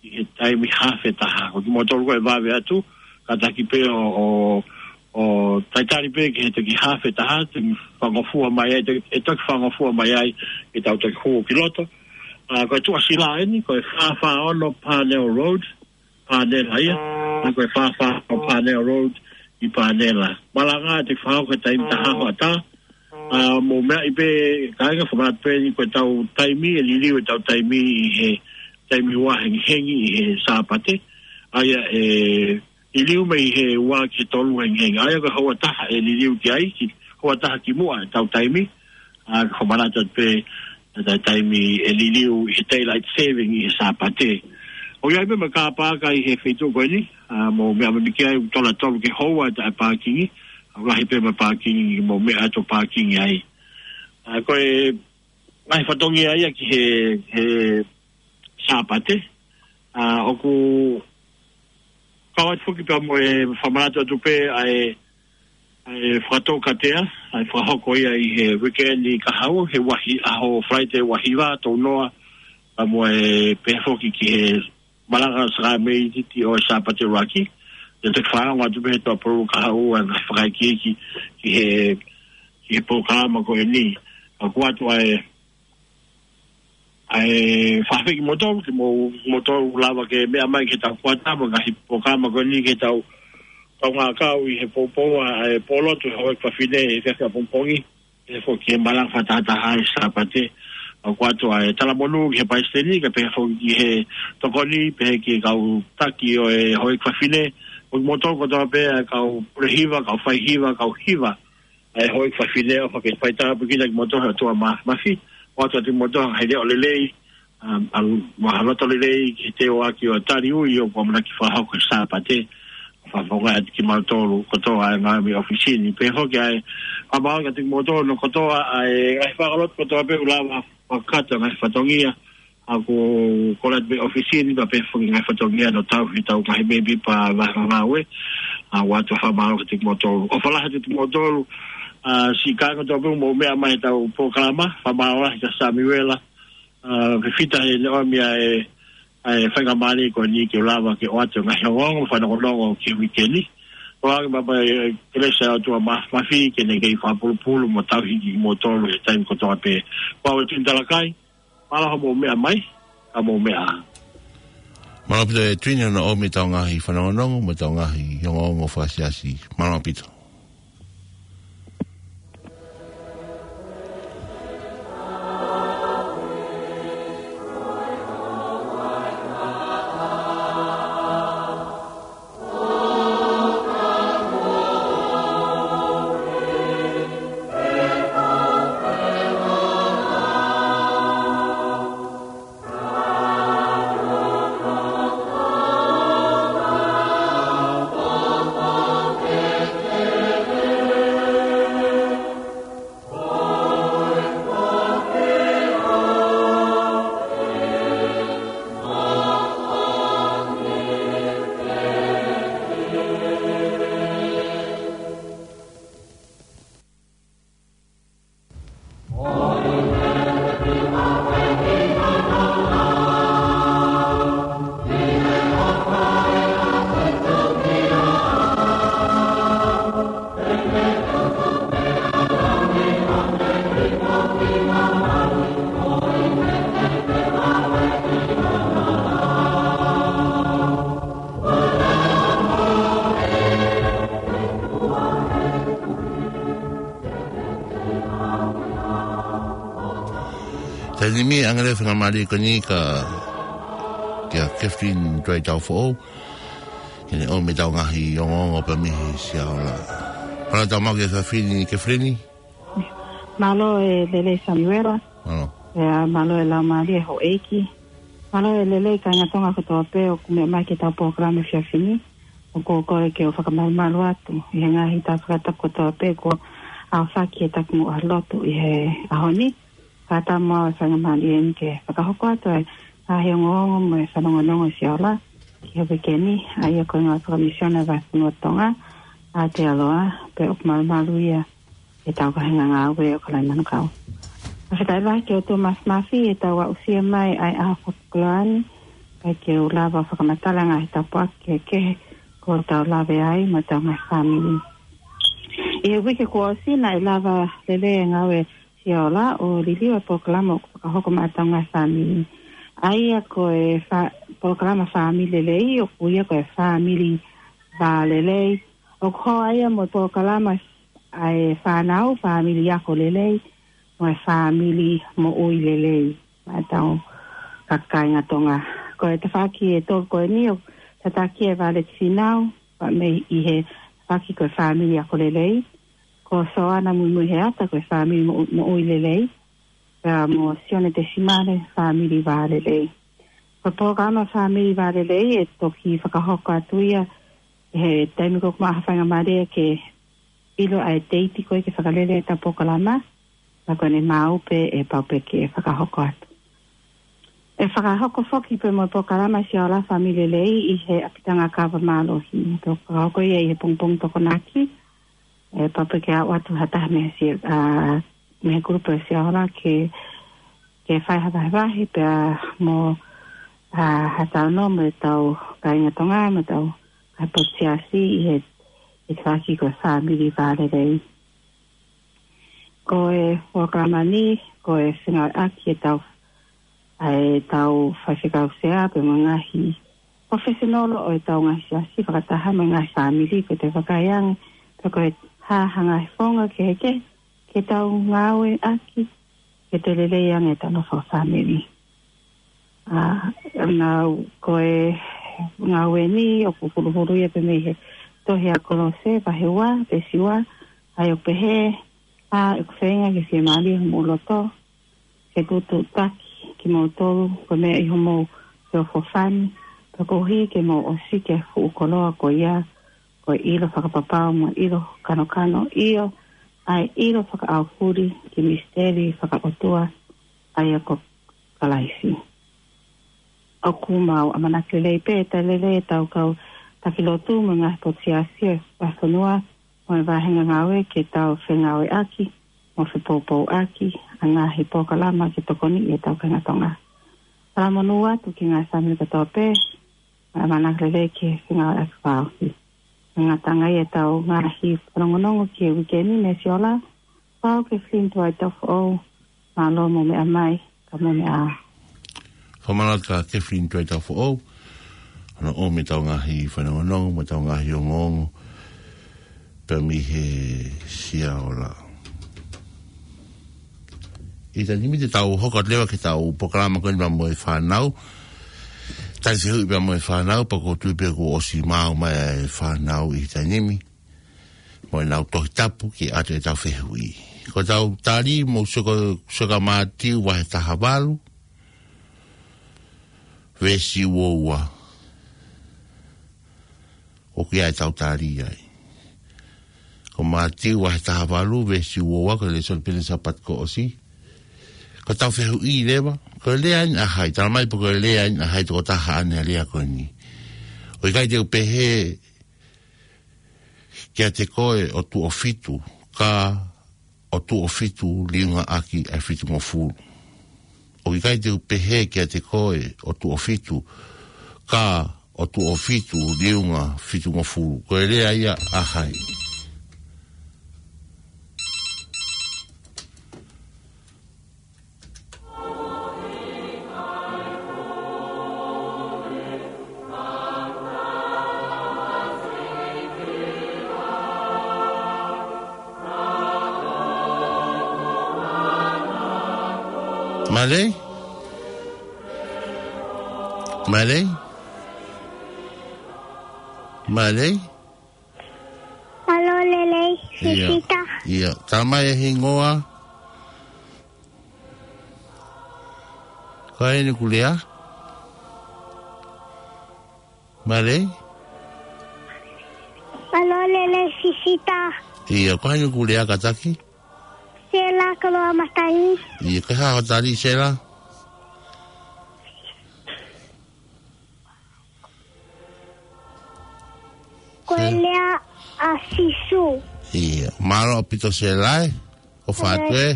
ʻi he taimi haafe taha. Ko kimoutolu ko ē ʻe vave atu, kātaki pē ʻo, ʻo, ʻo talitali pē ki he toki haafe taha, toki fakangofua mai ai, toki, ʻe toki fakangofua mai ai, ke tau toki hū ki loto. ʻA, ko e tuʻasila eni, ko e fā fā ono Parnell Road, Parnell ia, ʻa, ko e fā fā ono Parnell Road ʻi Parnell. Malanga te fao ko e taimi taha hoʻatā, ʻa, mou meaʻi pē, kāinga, fakamātoato pē eni ko e tau taimi, ʻe liliu e tau taimi ʻi he taimi ua hengihengi ʻi he Sāpate, ʻa ia ʻe liliu mei he ua ki he tolu hengihengi. ʻA ia ko e houa taha ʻe liliu ki ai, ki, houa taha kimuʻa e tau taimi, ʻa, fakamanatu atu pē, ʻa, taimi ʻe liliu ʻi he daylight saving ʻi he Sāpate. ʻOku ʻi ai pē mo e kapa ʻi he feituʻu ko eni, ʻa, mou meaʻi mai ki ai, ʻoku tola tolu ki he houa e taʻepākingi, ʻa, lahi pē mo e pākingi, mou meʻa atu pākingi ai. ʻA, ko e ngaahi fatongia ia ki he, he Sāpate, ʻa, ʻoku kau atu foki pea mo e fakamanatu atu pē ʻa e, ʻa e fakatoukatea, ʻa e fakahoko ia ʻi he weekend ʻi kahaʻu, he ʻaho, ʻaho Friday ua hiva, tolu noa, pea mo e pehē foki ki he malanga sākalamēniti ʻo e Sāpate ʻuluaki, Te te fakaongo atu pē he toa pulu ka hau ʻa e ngaahi fakaikiiki ki he, ki he polokalama ko eni. Ka ʻoku ʻoatu ʻa e, ʻa e fakafeʻiloaki kimoutolu, kimoutolu lava ke meʻa mai ki heʻetau kuata mo e ngaahi polokalama ko eni ki heʻetau kaungā kau ʻi he poupou ʻa e pōlotu he houʻeiki fafine he efiafi ʻapongipongi. Pehē foki ki he malanga fakatahataha ʻi he Sāpate. ʻOku ʻoatu ʻa e talamonū ki he palesiteni, kae pehē foki ki he tokoni, pehē ki he kau taki ʻo e houʻeiki fafine, ʻo kimoutolu kotoa pē ʻa e kau pule hiva, kau fai hiva, kau hiva ʻa e houʻeiki fafine, ʻofa ke fai tāpuekina kimoutolu ʻe he ʻOtua Mā-, Māfimafi, ʻoatu atu kimoutolu ha ngaahi leʻo lelei, um, ʻa, mo ha loto lelei ki he teuaki ʻo e tali ui ʻoku ʻamanaki fakahoko he Sāpate, fakafofongaʻi atu kimautolu kotoa ʻa e ngāue mei ʻōfisi ni. Pehē foki ʻa e fakamālō atu kimoutolu kotoa ʻa e ngaahi faʻahinga lotu kotoa pē ʻoku lava fakakakato ngaahi fatongia, ʻoku kole atu mei ʻōfisi ni, pea pehē foki ngaahi fatongia ʻoku tauhi ʻetau ngaahi mēmipa vahenga ngāue, ʻa, ʻoatu fakamālō atu kimoutolu. ʻOfa lahi atu kimoutolu, ʻa, siʻi kāinga kotoa pē ʻoku mou meʻa mai heʻetau polokalama, fakamālō lahi kia Samiuela, ʻa, fefita heʻene ʻomi ʻa e, ʻa e faingamālie ko eni ke u lava ke ʻoatu e ngaahi ongoongo mo e fanongonongo ki he uike ni. ʻOange mai pē ʻe he kelesi ʻa e ʻOtua Māfimafi ke ne kei fakapulupulu mo tauhi kimoutolu he taimi kotoa pē. Ko au ʻa Tuini Talakai, mālō hoʻomou meʻa mai, ka mou meʻa ā. Mālō ʻaupito ʻe Tuini hono ʻomi ʻetau ngaahi fanongonongo mo ʻetau ngaahi ongoongo fakasiasi. Mālō ʻaupito. Taimi ni ʻoange leva e faingamālie ko eni kia, kia Kathleen Tuaitaufoʻou, ke ne ʻomi ʻetau ngaahi ongoongo pē mei he Siaola. Mālō e tau maʻu ki he efiafi ni Kathleen. Mālō e lelei Samiuela. Mālō. ʻIo, mālō e laumālie houʻeiki. Mālō e lelei kāinga Tonga kotoa pē ʻoku mou meʻa mai ki heʻetau polokalama he efiafi ni. ʻOku ou kole ke u fakamalumalu atu ʻi he ngaahi taʻu fakatapu kotoa pē kuo aofaki he taki muʻa lotu ʻi he ʻaho ni. Kae ʻatā mo au e faingamālie ni ke fakahoko atu ʻa e ngaahi ongoongo mo e fanongonongo Siaola ki he uike ni, ʻa ia ko e ngāue fakamisiona ʻa e Vahefonua Tonga, Aotearoa, pea ʻoku malumalu ia ʻetau kāinga ngāue ʻo Kalaimanu Kau. Fakafetaʻi lahi ki he ʻOtua Māfimafi heʻetau aʻusia mai ʻa e ʻaho fakakoloa ni, kae ke u lava fakamatala ngaahi tāpuaki kehekehe kuo tau lave ai mo ʻetau ngaahi fāmili. ʻI he uike kuo ʻosi naʻe lava lelei e ngāue Siaola ʻo liliu e polokalama ʻoku fakahoko maʻa ʻetau ngaahi fāmili. ʻA ia ko e fa-, polokalama Fāmili Lelei ʻoku ui ia ko e Fāmili Vālelei. ʻOku hoa ia mo e polokalama ʻa e fānau, Fāmili Ako Lelei, mo e Fāmili Moʻui Lelei maʻa ʻetau kāinga Tonga. Ko e tafaʻaki ʻe tolu ko eni ʻoku tataki ʻe Violet Finau, pea mei he tafaʻaki ko e Fāmili Ako Lelei, ko Soana Muimuiheata ko e Fāmili Moʻu-, Moʻui Lelei, pea mo Sione Tesimale Fāmili Vālelei. Ko e polokalama Fāmili Vālelei ʻe toki fakahoko atu ia he taimi ko ē ʻoku maʻu ha faingamālie ke ʻilo ʻa e teiti ko ē ke fakalele ʻetau polokalama, pea ko ʻene maʻu pē ʻe pau pē ke fakahoko atu. ʻE fakahoko foki pē mo e polokalama Siaola Fāmili Lelei ʻi he ʻapitanga kava mālohi. ʻE fakahoko ia ʻi he pongipongi Tokonaki, ʻe pau pē ke aʻu atu ha taha mei he si-, ʻa, mei he kulupu ʻo e Siaola ke, ke fai ha vahevahe pea mo, ʻa, ha talanoa mo ʻetau kāinga Tonga, mo ʻetau ʻa e potu siasi ʻi he, ʻi he faki ko e fāmili vālelei. Ko e polokalama ni, ko e fengāueʻaki ʻetau, ʻa ʻetau faifekau sea pea mo e ngaahi professional ʻo ʻetau ngaahi siasi fakataha mo e ngaahi fāmili, ko e te vakai ange pe ko e hā ha ngaahi founga kehekehe ke tau ngāueʻaki ke toe lelei ange ʻetau nofo fakafāmili. ʻA, naʻa ko e ngāue ni ʻoku huluhulu ia pē mei he tohi ʻa Kolose vahe ua, veesi ua, ʻa ia ʻoku pehē, ʻa ʻeku feinga ke fiemālie homou loto, ke tuʻutuʻutaki kimoutolu, ko e meʻa ʻi homou feʻofoʻofani, pea koeʻuhi ke mou ʻosiki ʻa e fuʻu koloa ko ia, ko e ʻilo fakapapau mo e ʻilo kanokano, ʻio, ʻa e ʻilo fakaʻaufuli ki he misiteli fakaʻotua, ʻa ia ko Kalaisi. ʻOku mau ʻamanaki lelei pē ʻe toe lelei ʻetau kau taki lotu mo e ngaahi potu siasi ʻo e fonua mo e vāhenga ngāue ke tau fengāueʻaki mo fepoupouʻaki ʻa e ngaahi polokalama ke tokoniʻi ʻetau kāinga Tonga. Talamonū atu ki he ngaahi fāmili kotoa pē, ʻamanaki lelei ki he fengāueʻaki fakaʻosi. Ngataʻanga ia ʻetau ngaahi fanongonongo ki he uike ni, Mei Siola, pau Kathleen Tuai Taufoʻou, mālō mo e meʻa mai, ka mo e meʻa. Fakamālō atu kia Kathleen Tuai Taufoʻou, hono ʻomi ʻetau ngaahi fanongonongo, mo ʻetau ngaahi ongoongo, pea mei he Siola. ʻI he taimi ni te tau hoko atu leva ki heʻetau polokalama ko eni pea mo e fānau. Tali fehuʻi pea mo e fānau, pea ʻoku ou tui pē kuo ʻosi maʻu mai ʻa e fānau ʻi he taimi ni. Mo ʻenau Tohi Tapu ke ʻoatu ʻetau fehuʻi. Ko ʻetau tali mou sio ko, sio kia Mātiu vahe taha valu, veesi ua ua. ʻOku ʻi ai ʻetau tali ai. Ko Mātiu vahe taha valu, veesi ua ua, ko e lēsoni pē ʻo e Sāpate kuo ʻosi. Ko ʻetau fehuʻi leva, ko e lea eni ʻa hai, tala mai pe ko e lea eni ʻa hai tokotaha ʻanenai lea ko eni. ʻOku ʻikai te u pehē kiate koe ʻo tuʻo fitu, ka ʻo tuʻo fitu liunga ʻaki ʻa e fitungofulu. ʻOku ʻikai te u pehē kiate koe ʻo tuʻo fitu, ka ʻo tuʻo fitu liunga fitungofulu. Ko e lea ia ʻa hai? Mālō? Mālō? Mālō? Mālō lelei, ʻio. Sisita. ʻIo, tala mai e hingoa. Ko hai ʻoku lea? Mālō? Mālō lelei, Sisita. ʻIo, ko hai ʻoku lea kātaki? Sela Koloamatangi. ʻIo, ko e hā hoʻo tali, Sela? Ko e lea ʻa Sīsū. ʻIo, mālō ʻaupito Sela ē. ʻOfa atu ē.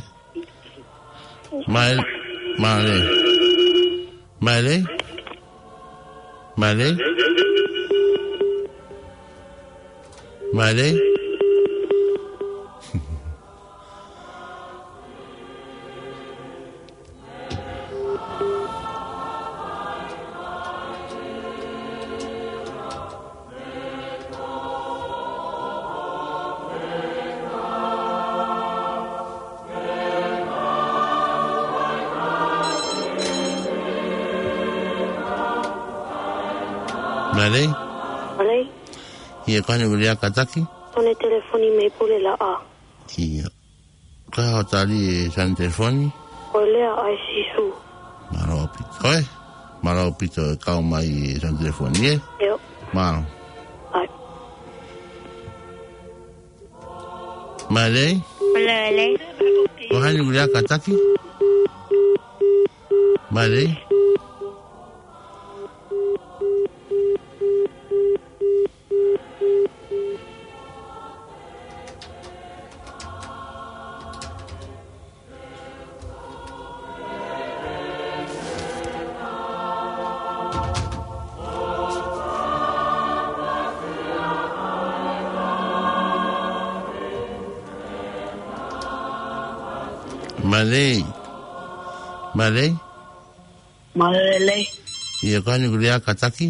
Mālō, mālō. Mālō. Mālō. Mālō. Mālō. Mālō. ʻIo, ko hai ʻoku lea kātaki? Tone telefoni mei Pulelaʻa. ʻIo. Ko hai hoʻo tali, e siana telefoni? Ko e lea ʻa Sīsū. Mālō ʻaupito. Ko e? Mālō ʻaupito e kau mai, e siana telefoni, ē? ʻIo. Mālō. ʻAi. Mālō. Mālō, mālō. Ko hai ʻoku lea kātaki? Mālō. Mālō. Mālō. Mālō lelei. ʻIo, ko hai ʻoku lea kātaki?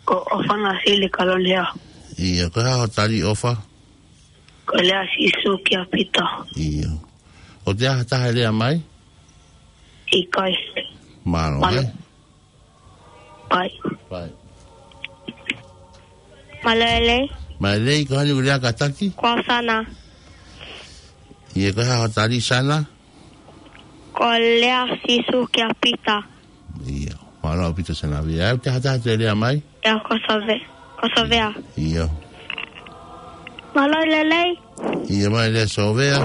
Ko ʻOfa Nāsili Kalolea. ʻIo, ko e hā hoʻo tali, ʻOfa? Ko e lea ʻa Sīsū kia Pita. ʻIo. ʻOku ʻi ai ha taha ʻe lea mai? ʻIkai. Mālō, Mālō. Hei. Pai. Pai. Mālō lelei. Mālō lelei, ko hai ʻoku lea kātaki? Ko au Sana. ʻIo, ko e hā hoʻo tali, Sana? Ko e lea ʻa Sīsū kia Pita. ʻIo, mālō ʻaupito Sana. ʻOku ʻi ai ha taha ʻe lea mai? ʻIo, ko Sove-, ko Sovea. ʻIo. Mālō lelei. ʻIo, mālō lelei Sovea.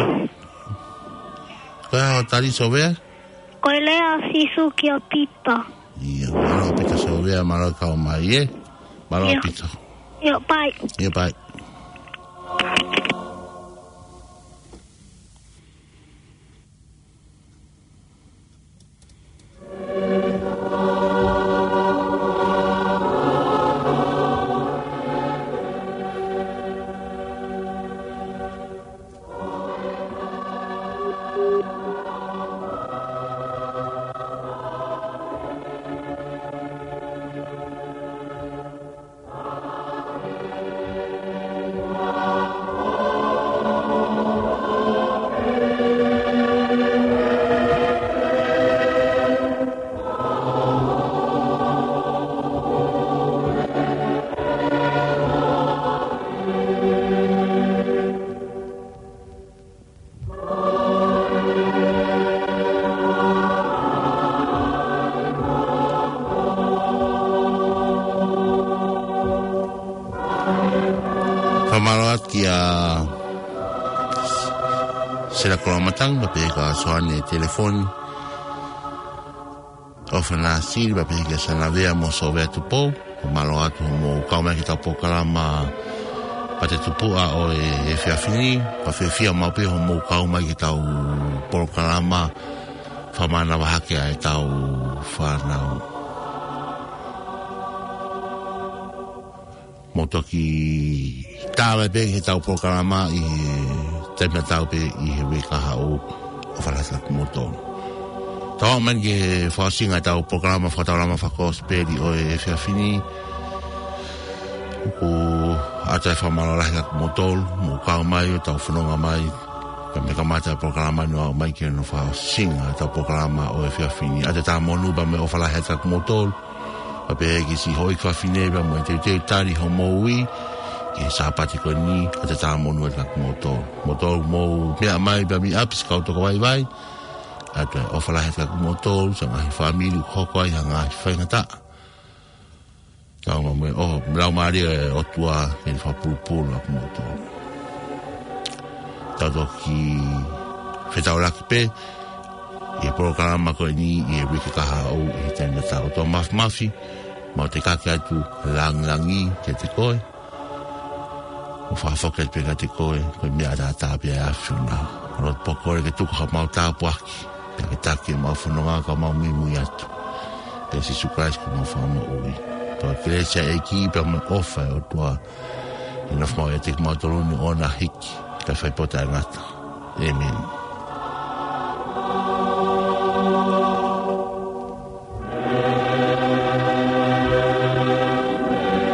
Ko e hā hoʻo tali, Sovea? Ko e lea ʻa Sīsū kia Pita. ʻIo, mālō ʻaupito Sovea, mālō e kau mai, ē? Mālō ʻIo. ʻAupito. ʻIo, pai. ʻIo, pai. Fakamālō atu kia Sela Koloamatanga, pea pehē kia Soane Telefoni, ʻOfa Nāsili, pea pehē kia Sanavea mo Sovea Tupou. Fakamālō atu hoʻomou kau mai ki heʻetau polokalama Pate Tupuʻa ʻo e efiafi ni. Pea fiefia maʻu pē hoʻomou kau mai ki heʻetau polokalama fakamānava hake ʻa ʻetau fānau. Mou toki tā mai pē ki heʻetau polokalama ʻi he taimi tatau pē ʻi he uike kahaʻu. ʻOfa lahi atu kiate kimoutolu. Tau aʻu mai ki he fakaʻosinga ʻetau polokalama fakataulama fakakosipeli ʻo e efiafi ni. ʻOku ʻoatu e fakamālō lahi kiate kimoutolu, mou kau mai ʻo tau fononga mai, kae kamata e polokalama ni ʻo aʻu mai ki hono fakaʻosinga ʻetau polokalama ʻo e efiafi ni. ʻOatu e tā monū pea mo e ʻofa lahi atu kiate kimoutolu. Pea pehē ki siʻi houʻeiki fafine pea mo e teuteu tali hoʻomou ui ki he Sāpate ko eni, ʻoatu e tā monū atu kiate kimoutolu. Moutolu mou meʻa mai pea mei ʻapi, siʻi kau toko vaivai. ʻOatu e ʻofa lahi atu kiate kimoutolu, siʻi ngaahi fāmili ʻoku hoko ai ha ngaahi faingataʻa. Tau mo e, ʻo, mo e Laumālie ʻo e ʻOtua ke ne fakapulupulu ʻa kimoutolu. Tau toki fetaulaki pē ʻi he polokalama ko eni ʻi he uike kahaʻu ʻi he taimi tatau. ʻOtua Māfimafi, mau tekaki atu e langilangi kiate koe. Mau fakafoki atu pē kiate koe, ko e meʻa ʻataʻatā pē ʻa e ʻAfiona. Lotu pē ʻoku kole ke tuku haʻamau tāpuaki, pea ke taki ʻemau fononga ka mau muimui atu. ʻIa Sīsū Kalaisi ko homau Fakamoʻui. Pea ko e kelesi ʻa e ʻEiki pea mo e ʻofa ʻa e ʻOtua ke nofo maʻu ʻiate kimautolu ni ʻo na hiki, kae fai pē ʻo taʻengata. ʻĒmeni.